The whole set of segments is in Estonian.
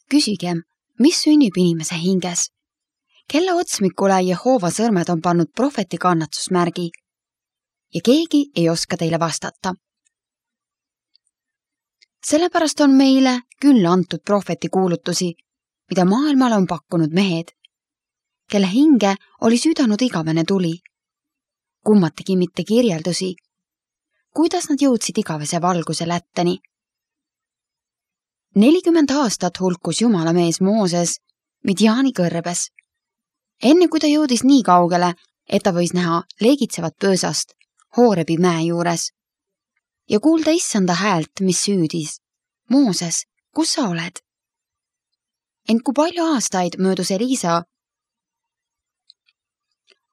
Küsigem, mis sünnib inimese hinges? Kelle otsmikule Jehova sõrmed on pannud prohveti kannatsusmärgi? Ja keegi ei oska teile vastata. Sellepärast on meile küll antud prohveti kuulutusi, mida maailmale on pakkunud mehed, kelle hinge oli südanud igavene tuli. Kummatigi mitte kirjeldusi, kuidas nad jõudsid igavese valguse lätteni. 40 aastat hulkus Jumala mees Mooses Midjaani kõrbes, enne kui ta jõudis nii kaugele, et ta võis näha leegitsevat pöösast Hoorebi mäe juures ja kuulda issanda häält, mis süüdis. Mooses, kus sa oled? Ent kui palju aastaid möödus Elisa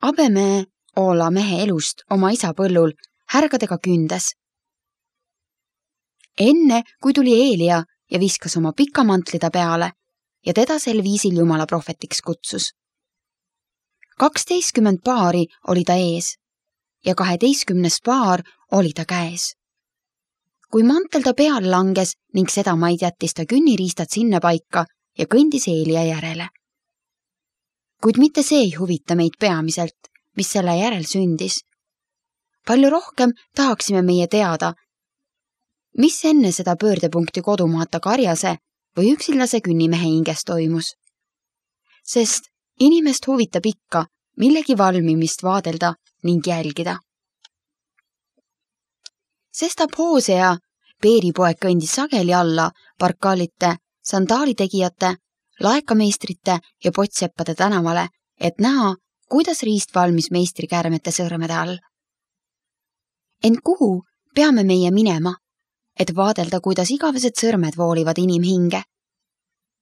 Abeme-Oola mehe elust oma isa põllul härgadega kündes. Enne, kui tuli Eelia ja viskas oma pika mantli ta peale ja teda sel viisil Jumala prohvetiks kutsus. 12 paari oli ta ees ja 12 paar oli ta käes. Kui mantel ta peale langes ning seda maid jättis ta künniriistad sinna paika ja kõndis Eelia järele. Kuid mitte see ei huvita meid peamiselt, mis selle järel sündis. Palju rohkem tahaksime meie teada, mis enne seda pöördepunkti kodumaata Karjase või üksillase künnimehe hinges toimus. Sest inimest huvitab ikka millegi valmimist vaadelda ning jälgida. Sestap Hoosea Peeripoeg kõndis sageli alla Barkalite, sandaalitegijate, laekameistrite ja potseppade tänavale, et näha, kuidas riist valmis meistri käärmete sõrmede all. Ent kuhu peame meie minema, et vaadelda, kuidas igavesed sõrmed voolivad inimhinge?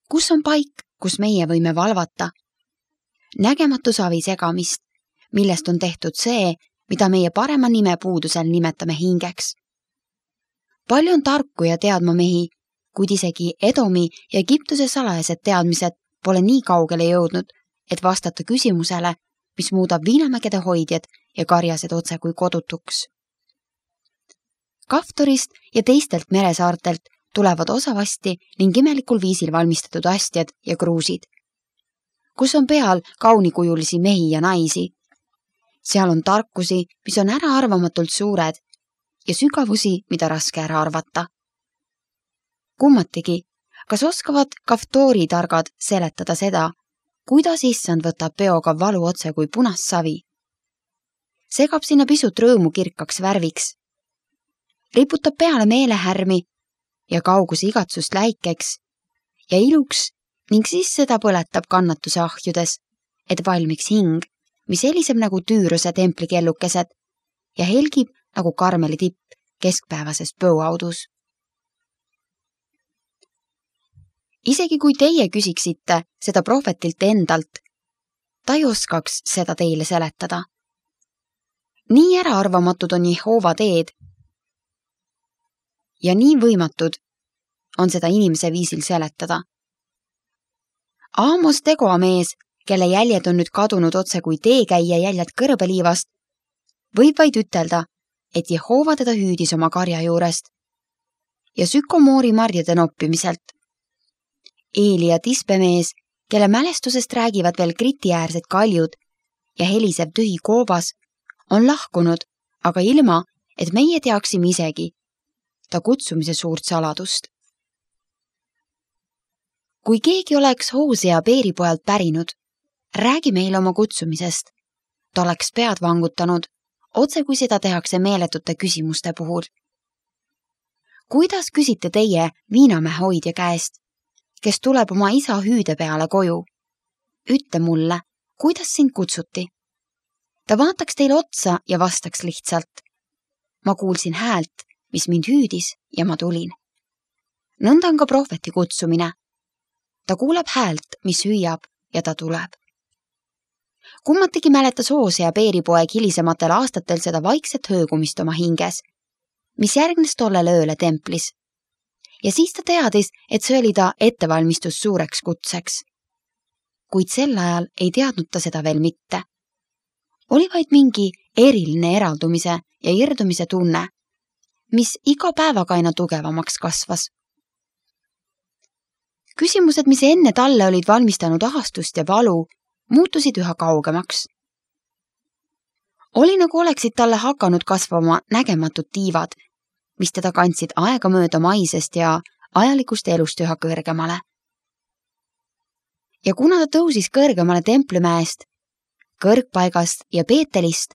Kus on paik, kus meie võime valvata? Nägematu savi segamist, millest on tehtud see, mida meie parema nime puudusel nimetame hingeks. Palju on tarku ja teadma mehi, kuid isegi Edomi ja Egiptuse salajased teadmised pole nii kaugele jõudnud, et vastata küsimusele, mis muudab viinamägede hoidjad ja karjased otse kui kodutuks. Kaftorist ja teistelt meresaartelt tulevad osavasti ning imelikul viisil valmistatud astjad ja kruusid, kus on peal kaunikujulisi mehi ja naisi. Seal on tarkusi, mis on äraarvamatult suured ja sügavusi, mida raske ära arvata. Kummatigi, kas oskavad Kaftori targad seletada seda, kuidas issand võtab peoga valu otse kui punast savi? Segab sinna pisut rõõmu kirkaks värviks, riputab peale meelehärmi ja kauguse igatsust läikeks ja iluks ning siis seda põletab kannatuse ahjudes, et valmiks hing, mis heliseb nagu Tüüruse templikellukesed ja helgib nagu Karmeli tipp keskpäevases põuaudus. Isegi kui teie küsiksite seda prohvetilt endalt, ta ei oskaks seda teile seletada. Nii äraarvamatud on Jehova teed ja nii võimatud on seda inimese viisil seletada. Aamos Tegoa mees, kelle jäljed on nüüd kadunud otse kui teekäija jäljed kõrbeliivast, võib vaid ütelda, et Jehova teda hüüdis oma karja juurest ja sükomoori marjade noppimiselt. Eeli ja Tispemees, kelle mälestusest räägivad veel kritiäärsed kaljud ja helisev tühi koobas, on lahkunud, aga ilma, et meie teaksime isegi ta kutsumise suurt saladust. Kui keegi oleks Hoosea Peeripojalt pärinud, räägi meile oma kutsumisest. Ta oleks pead vangutanud, otse kui seda tehakse meeletute küsimuste puhul. Kuidas küsite teie viinamäe hoidja käest, kes tuleb oma isa hüüde peale koju? Ütle mulle, kuidas sind kutsuti? Ta vaataks teile otsa ja vastaks lihtsalt. Ma kuulsin häält, mis mind hüüdis ja ma tulin. Nõnda on ka prohveti kutsumine. Ta kuuleb häält, mis hüüab ja ta tuleb. Kummatigi mäletas Hoosea Peeripoeg hilisematel aastatel seda vaikset höögumist oma hinges, mis järgnes tollele ööle templis. Ja siis ta teadis, et see oli ta ettevalmistus suureks kutseks. Kuid sel ajal ei teadnud ta seda veel mitte. Oli vaid mingi eriline eraldumise ja irdumise tunne, mis iga päevaga aina tugevamaks kasvas. Küsimused, mis enne talle olid valmistanud ahastust ja valu, muutusid üha kaugemaks. Oli nagu oleksid talle hakanud kasvama nägematud tiivad, mis teda kandsid aegamööda maisest ja ajalikust elust üha kõrgemale. Ja kuna ta tõusis kõrgemale Templimäest, kõrgpaigast ja Peetelist,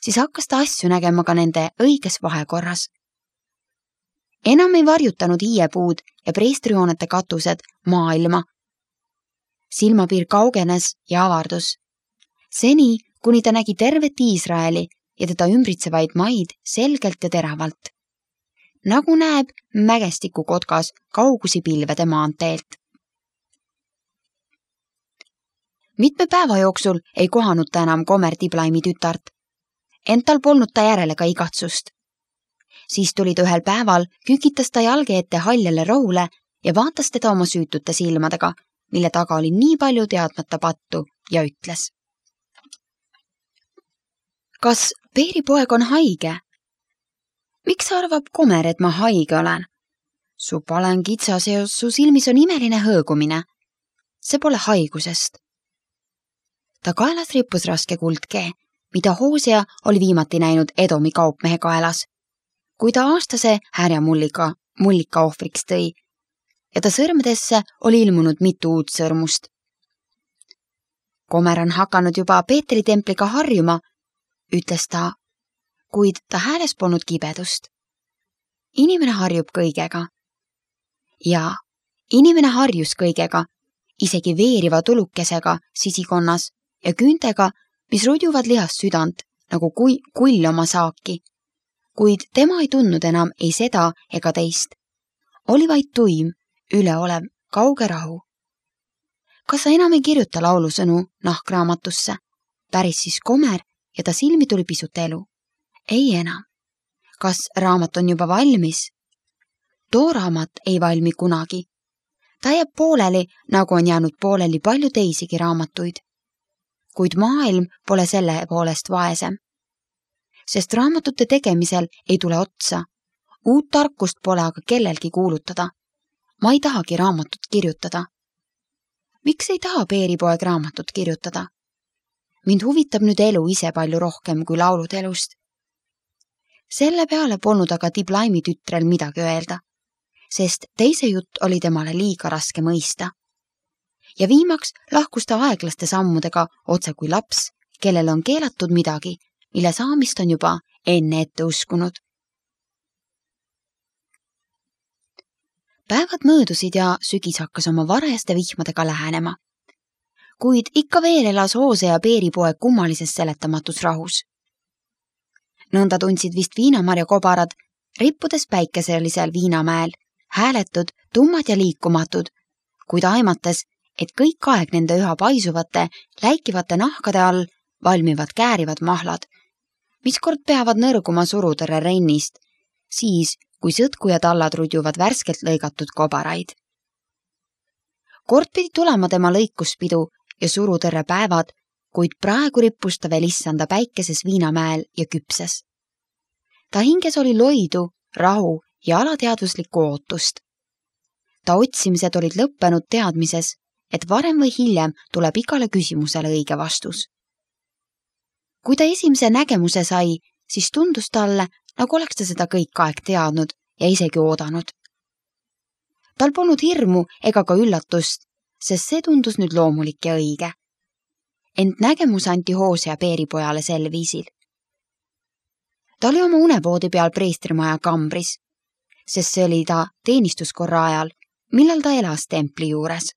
siis hakkas ta asju nägema ka nende õiges vahekorras. Enam ei varjutanud hiiepuud ja preestrihoonete katused maailma. Silmapiir kaugenes ja avardus. Seni, kuni ta nägi tervet Iisraeli ja teda ümbritsevaid maid selgelt ja teravalt. Nagu näeb mägestiku kotkas kaugusi pilvede maanteelt. Mitme päeva jooksul ei kohanud ta enam Gomer Diblaimi tütart, ent tal polnud ta järele ka igatsust. Siis tuli ta ühel päeval, kükitas ta jalge ette haljale rohule ja vaatas teda oma süütute silmadega, mille taga oli nii palju teadmata pattu ja ütles. Kas Peeripoeg on haige? Miks arvab Gomer, et ma haige olen? Su palen kitsas ja su silmis on imeline hõõgumine. See pole haigusest. Ta kaelas rippus raske kuldkee, mida Hosea oli viimati näinud Edomi kaupmehe kaelas, kui ta aastase härjamullika ohvriks tõi ja ta sõrmedesse oli ilmunud mitu uut sõrmust. Gomer on hakanud juba Peetri templiga harjuma, ütles ta, kuid ta hääles polnud kibedust. Inimene harjub kõigega. Ja inimene harjus kõigega, isegi veeriva tulukesega sisikonnas ja küüntega, mis rudjuvad lihast südant, nagu kull oma saaki. Kuid tema ei tundnud enam ei seda ega teist. Oli vaid tuim, üleolev, kauge rahu. Kas sa enam ei kirjuta laulusõnu nahkraamatusse? Päris siis Gomer ja ta silmi tuli pisut elu. Ei enam. Kas raamat on juba valmis? Too raamat ei valmi kunagi. Ta jääb pooleli, nagu on jäänud pooleli palju teisigi raamatuid. Kuid maailm pole selle poolest vaesem. Sest raamatute tegemisel ei tule otsa. Uut tarkust pole aga kellelgi kuulutada. Ma ei tahagi raamatut kirjutada. Miks ei taha Peeripoeg raamatut kirjutada? Mind huvitab nüüd elu ise palju rohkem kui laulud elust. Selle peale polnud aga Diblaimi tütrel midagi öelda, sest teise jutt oli temale liiga raske mõista. Ja viimaks lahkus ta aeglaste sammudega otse kui laps, kellel on keelatud midagi, mille saamist on juba enne ette uskunud. Päevad möödusid ja sügis hakkas oma varajaste vihmadega lähenema. Kuid ikka veel elas Hosea ja Peeripoeg kummalises seletamatus rahus. Nõnda tundsid vist viinamarja kobarad, rippudes päikeselisel viinamäel, hääletud, tummad ja liikumatud, kuid aimates, et kõik aeg nende üha paisuvate, läikivate nahkade all valmivad käärivad mahlad, mis kord peavad nõrguma surutõrre rennist, siis kui sõtku ja tallad rudjuvad värskelt lõigatud kobaraid. Kord pidi tulema tema lõikuspidu ja surutõrre päevad, kuid praegu rippus ta veel issanda päikeses viinamäel ja küpses. Ta hinges oli loidu, rahu ja alateadvuslikku ootust. Ta otsimised olid lõppenud teadmises, et varem või hiljem tuleb igale küsimusele õige vastus. Kui ta esimese nägemuse sai, siis tundus talle, nagu oleks ta seda kõik aeg teadnud ja isegi oodanud. Tal polnud hirmu ega ka üllatust, sest see tundus nüüd loomulik ja õige. Ent nägemus anti Hosea Peeripojale sel viisil. Ta oli oma unevoodi peal preestrimaja kambris, sest see oli ta teenistuskorra ajal, millal ta elas templi juures.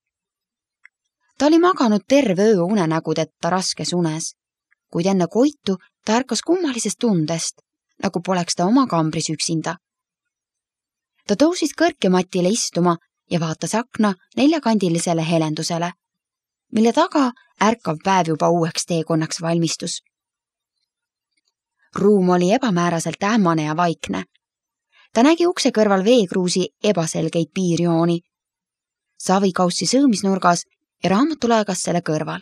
Ta oli maganud terve öö unenägudeta raskes unes, kuid enne koitu ta ärkas kummalisest tundest, nagu poleks ta oma kambris üksinda. Ta tõusis kõrkematile istuma ja vaatas akna neljakandilisele helendusele, mille taga ärkav päev juba uueks teekonnaks valmistus. Ruum oli ebamääraselt ähmane ja vaikne. Ta nägi ukse kõrval veekruusi ebaselgeid piirjooni, savikaussi sõõmisnurgas ja raamatulaegas selle kõrval.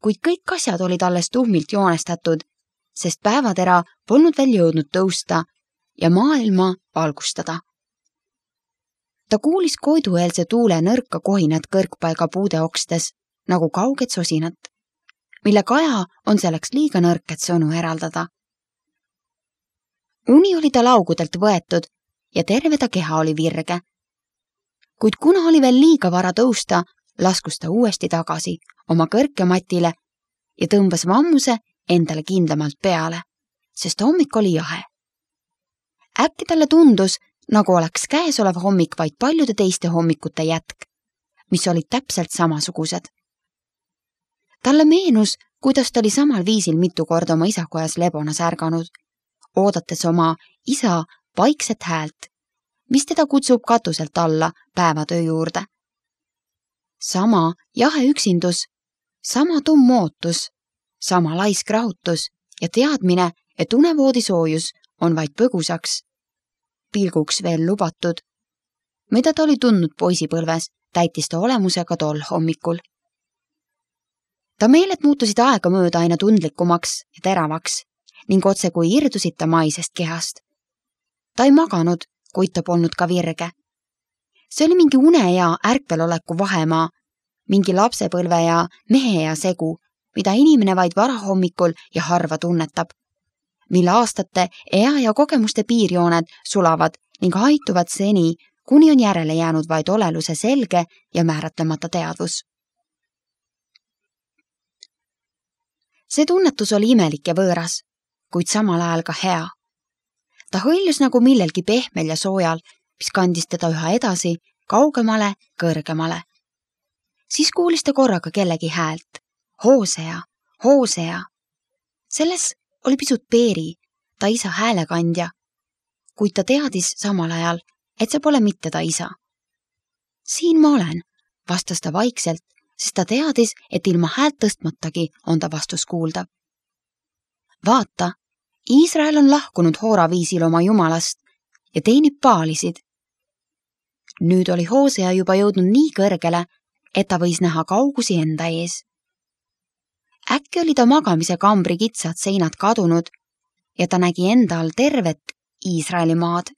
Kuid kõik asjad olid alles tuhmilt joonestatud, sest päevatera polnud veel jõudnud tõusta ja maailma valgustada. Ta kuulis koidueelse tuule nõrka kohinat kõrgpaiga puude okstes nagu kauget sosinat, mille kaja on selleks liiga nõrk, et sõnu eraldada. Uni oli ta laugudelt võetud ja terve ta keha oli virge. Kuid kuna oli veel liiga vara tõusta, laskus ta uuesti tagasi oma kõrkematile ja tõmbas vammuse endale kindlamalt peale, sest hommik oli jahe. Äkki talle tundus, nagu oleks käesolev hommik vaid paljude teiste hommikute jätk, mis olid täpselt samasugused. Talle meenus, kuidas ta oli samal viisil mitu korda oma isakojas lebonas ärganud, oodates oma isa vaikset häält, mis teda kutsub katuselt alla päevatöö juurde. Sama jahe üksindus, sama tumm ootus, sama laisk rahutus ja teadmine, et unevoodisoojus on vaid põgusaks, pilguks veel lubatud, mida ta oli tundnud poisipõlves, täitis ta olemusega tol hommikul. Ta meeled muutusid aega mööda aina tundlikumaks ja teravaks ning otse kui irdusid ta maisest kehast. Ta ei maganud, kuid ta polnud ka virge. See oli mingi une ja ärkveloleku vahemaa, mingi lapsepõlve ja mehe ja segu, mida inimene vaid varahommikul ja harva tunnetab, mille aastate, ea ja kogemuste piirjooned sulavad ning haituvad seni, kuni on järele jäänud vaid oleluse selge ja määratlemata teadvus. See tunnetus oli imelik ja võõras, kuid samal ajal ka hea. Ta hõljus nagu millelgi pehmel ja soojal, mis kandis teda üha edasi, kaugemale, kõrgemale. Siis kuulis ta korraga kellegi häält. Hoosea, Hoosea. Selles oli pisut Peeri, ta isa häälekandja, kuid ta teadis samal ajal, et see pole mitte ta isa. Siin ma olen, vastas ta vaikselt, sest ta teadis, et ilma häält tõstmatagi on ta vastus kuuldav. Vaata, Iisrael on lahkunud hooraviisil oma jumalast ja teenib paalisid. Nüüd oli Hoosea juba jõudnud nii kõrgele, et ta võis näha kaugusi enda ees. Äkki oli ta magamise kambri kitsad seinad kadunud ja ta nägi enda all tervet Iisraeli maad.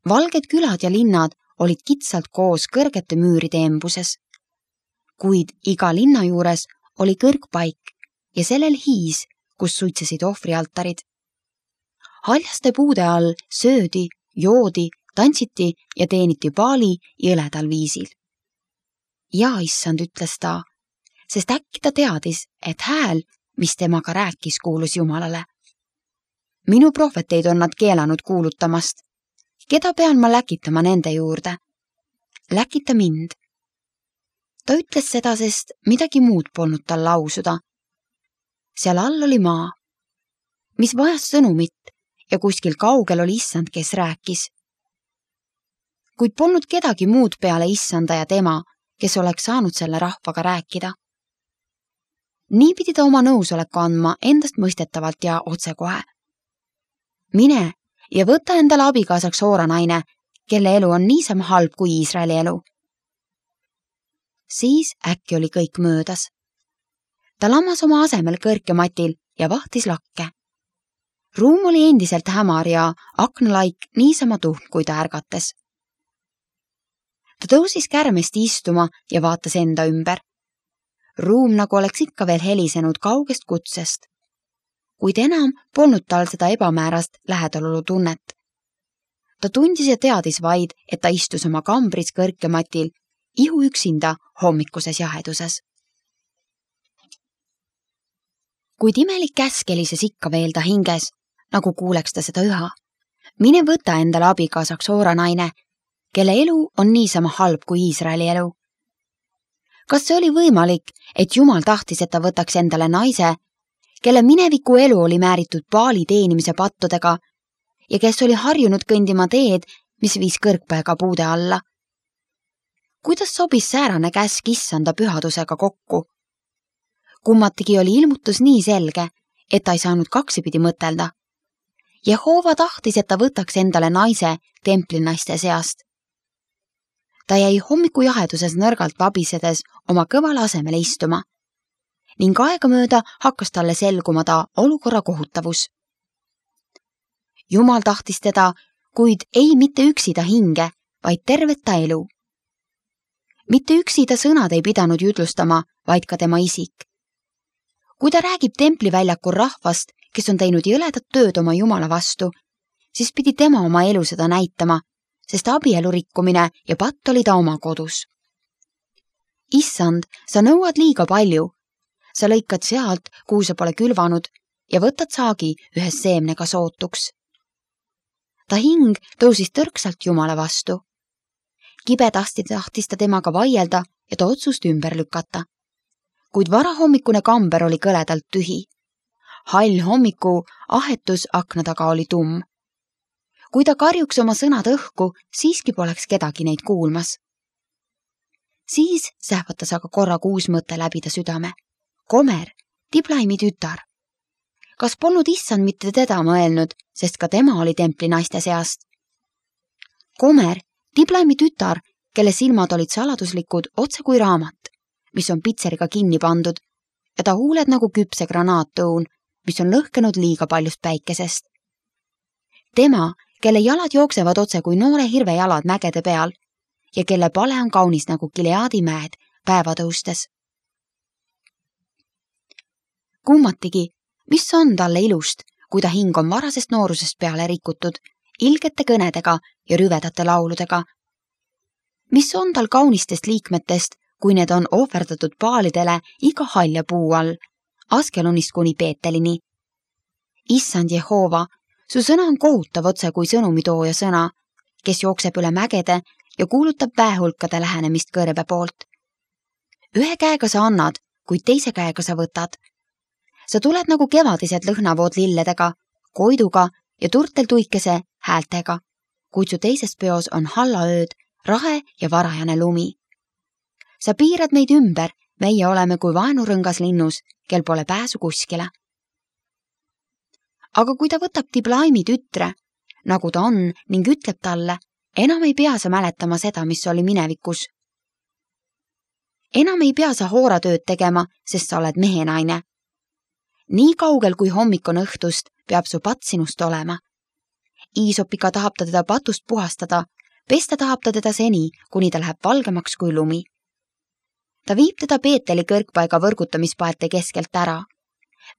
Valged külad ja linnad olid kitsalt koos kõrgete müüride embuses, kuid iga linna juures oli kõrgpaik ja sellel hiis, kus suitsesid ohvrialtarid. Haljaste puude all söödi, joodi, tantsiti ja teeniti paali jõledal viisil. Ja issand, ütles ta, sest äkki ta teadis, et hääl, mis temaga rääkis, kuulus Jumalale. Minu prohveteid on nad keelanud kuulutamast. Keda pean ma läkitama nende juurde? Läkita mind. Ta ütles seda, sest midagi muud polnud tal lausuda. Seal all oli maa, mis vajas sõnumit ja kuskil kaugel oli issand, kes rääkis. Kuid polnud kedagi muud peale issanda ja tema, kes oleks saanud selle rahvaga rääkida. Nii pidi ta oma nõusoleku andma endast mõistetavalt ja otsekohe. Mine ja võta endale abikaasaks hooranaine, kelle elu on niisama halb kui Iisraeli elu. Siis äkki oli kõik möödas. Ta lammas oma asemel kõrkematil ja vahtis lakke. Ruum oli endiselt hämar ja aknalaik niisama tuhn, kui ta ärgates. Ta tõusis kärmest istuma ja vaatas enda ümber. Ruum nagu oleks ikka veel helisenud kaugest kutsest, kuid enam polnud tal seda ebamäärast lähedalolu tunnet. Ta tundis ja teadis vaid, et ta istus oma kambris kõrkematil, ihu üksinda hommikuses jaheduses. Kuid imelik käsk helises ikka veel ta hinges, nagu kuuleks ta seda üha. Mine võta endale abikaasaks hooranaine, kelle elu on niisama halb kui Iisraeli elu. Kas see oli võimalik, et Jumal tahtis, et ta võtaks endale naise, kelle mineviku elu oli määritud paali teenimise pattudega ja kes oli harjunud kõndima teed, mis viis kõrgpaega puude alla? Kuidas sobis säärane käsk issanda pühadusega kokku? Kummatigi oli ilmutus nii selge, et ta ei saanud kaksipidi mõtelda. Jehova tahtis, et ta võtaks endale naise templinaiste seast. Ta jäi hommiku jaheduses nõrgalt vabisedes oma kõvale asemele istuma ning aegamööda hakkas talle selguma ta olukorra kohutavus. Jumal tahtis teda, kuid ei mitte üksi ta hinge, vaid tervet ta elu. Mitte üksi ta sõnad ei pidanud jutlustama, vaid ka tema isik. Kui ta räägib templiväljakul rahvast, kes on teinud jõledat tööd oma Jumala vastu, siis pidi tema oma elu seda näitama, sest abielu rikkumine ja patt oli ta oma kodus. Issand, sa nõuad liiga palju. Sa lõikad sealt, kuhu sa pole külvanud ja võtad saagi ühes seemnega sootuks. Ta hing tõusis tõrksalt Jumala vastu. Kibe tahtis ta temaga vaielda ja ta otsust ümber lükata. Kuid varahommikune kamber oli kõledalt tühi. Hall hommiku ahetus akna taga oli tumm. Kui ta karjuks oma sõnad õhku, siiski poleks kedagi neid kuulmas. Siis sähvatas aga korraga uus mõte läbi ta südame. Komer, Diblaimi tütar. Kas polnud issand mitte teda mõelnud, sest ka tema oli templi naiste seast? Komer, Diblaimi tütar, kelle silmad olid saladuslikud otse kui raamat, mis on pitseriga kinni pandud, ja ta huuled nagu küpse granaatõun, mis on lõhkenud liiga paljust päikesest. Tema, kelle jalad jooksevad otse kui noore hirve jalad mägede peal ja kelle pale on kaunis nagu Gileadi mäed päeva tõustes. Kummatigi, mis on talle ilust, kui ta hing on varasest noorusest peale rikutud, ilgete kõnedega ja rüvedate lauludega. Mis on tal kaunistest liikmetest, kui need on ohverdatud paalidele iga halja puu all, Askelonist kuni Peetelini. Issand Jehova, su sõna on kohutav otse kui sõnumitooja sõna, kes jookseb üle mägede ja kuulutab väehulkade lähenemist kõrbe poolt. Ühe käega sa annad, kuid teise käega sa võtad. Sa tuled nagu kevadised lõhnavood lilledega, koiduga ja turtel tuikese häältega, kuid su teises peos on hallaööd, rahe ja varajane lumi. Sa piirad meid ümber, meie oleme kui vaenurõngas linnus, kel pole pääsu kuskile. Aga kui ta võtab Diblaimi tütre, nagu ta on, ning ütleb talle, enam ei pea sa mäletama seda, mis oli minevikus. Enam ei pea sa hooratööd tegema, sest sa oled mehenaine. Nii kaugel kui hommik on õhtust, peab su patt sinust olema. Iisopiga tahab ta teda patust puhastada, pesta tahab ta teda seni, kuni ta läheb valgemaks kui lumi. Ta viib teda Peeteli kõrgpaiga võrgutamispaete keskelt ära.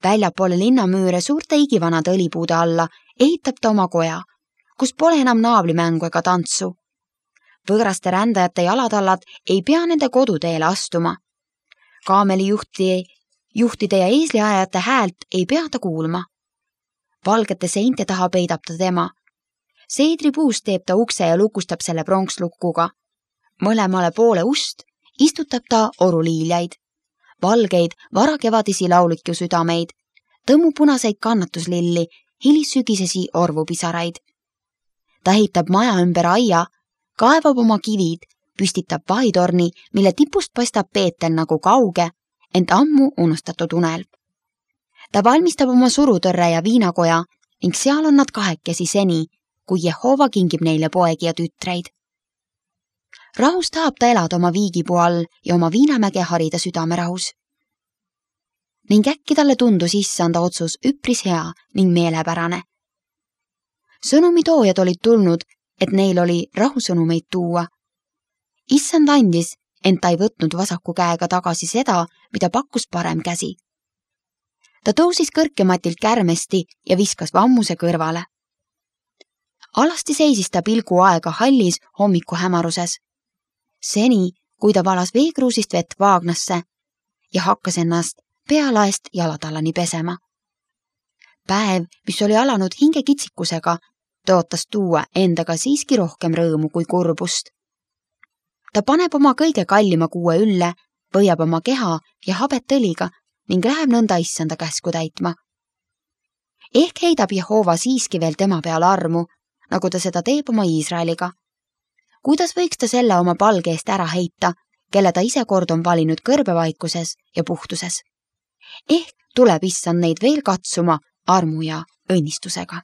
Väljapoole linnamüüre suurte igivanade õlipuude alla ehitab ta oma koja, kus pole enam naablimängu ega tantsu. Võõraste rändajate jalatallad ei pea nende koduteele astuma. Kaamelijuhtide ja eesliajajate häält ei pea ta kuulma. Valgete seinte taha peidab ta tema. Seedripuust teeb ta ukse ja lukustab selle pronkslukuga. Mõlemale poole ust istutab ta oruliiljaid, valgeid varakevadisi lauliku südameid, tõmmupunaseid kannatuslilli, hilissügisesi orvupisaraid. Ta ehitab maja ümber aia, kaevab oma kivid, püstitab vahitorni, mille tipust paistab Peetel nagu kauge, ent ammu unustatud unelm. Ta valmistab oma surutõrre ja viinakoja ning seal on nad kahekesi seni, kui Jehova kingib neile poegi ja tütreid. Rahus tahab ta elada oma viigipuu all ja oma viinamäge harida südamerahus. Ning äkki talle tundus issanda otsus üpris hea ning meelepärane. Sõnumitoojad olid tulnud, et neil oli rahusõnumeid tuua. Issand andis, ent ta ei võtnud vasaku käega tagasi seda, mida pakkus parem käsi. Ta tõusis kõrkematilt kärmesti ja viskas vammuse kõrvale. Alasti seisis ta pilgu aega hallis hommiku hämaruses. Seni, kui ta valas veekruusist vett vaagnasse ja hakkas ennast pealaest jalatallani pesema. Päev, mis oli alanud hingekitsikusega, tõotas tuua endaga siiski rohkem rõõmu kui kurbust. Ta paneb oma kõige kallima kuue ülle, võiab oma keha ja habet õliga ning läheb nõnda issanda käsku täitma. Ehk heidab Jehova siiski veel tema peale armu, nagu ta seda teeb oma Iisraeliga. Kuidas võiks ta selle oma palge eest ära heita, kelle ta ise kord on valinud kõrbevaikuses ja puhtuses? Ehk tuleb issand neid veel katsuma armu ja õnnistusega.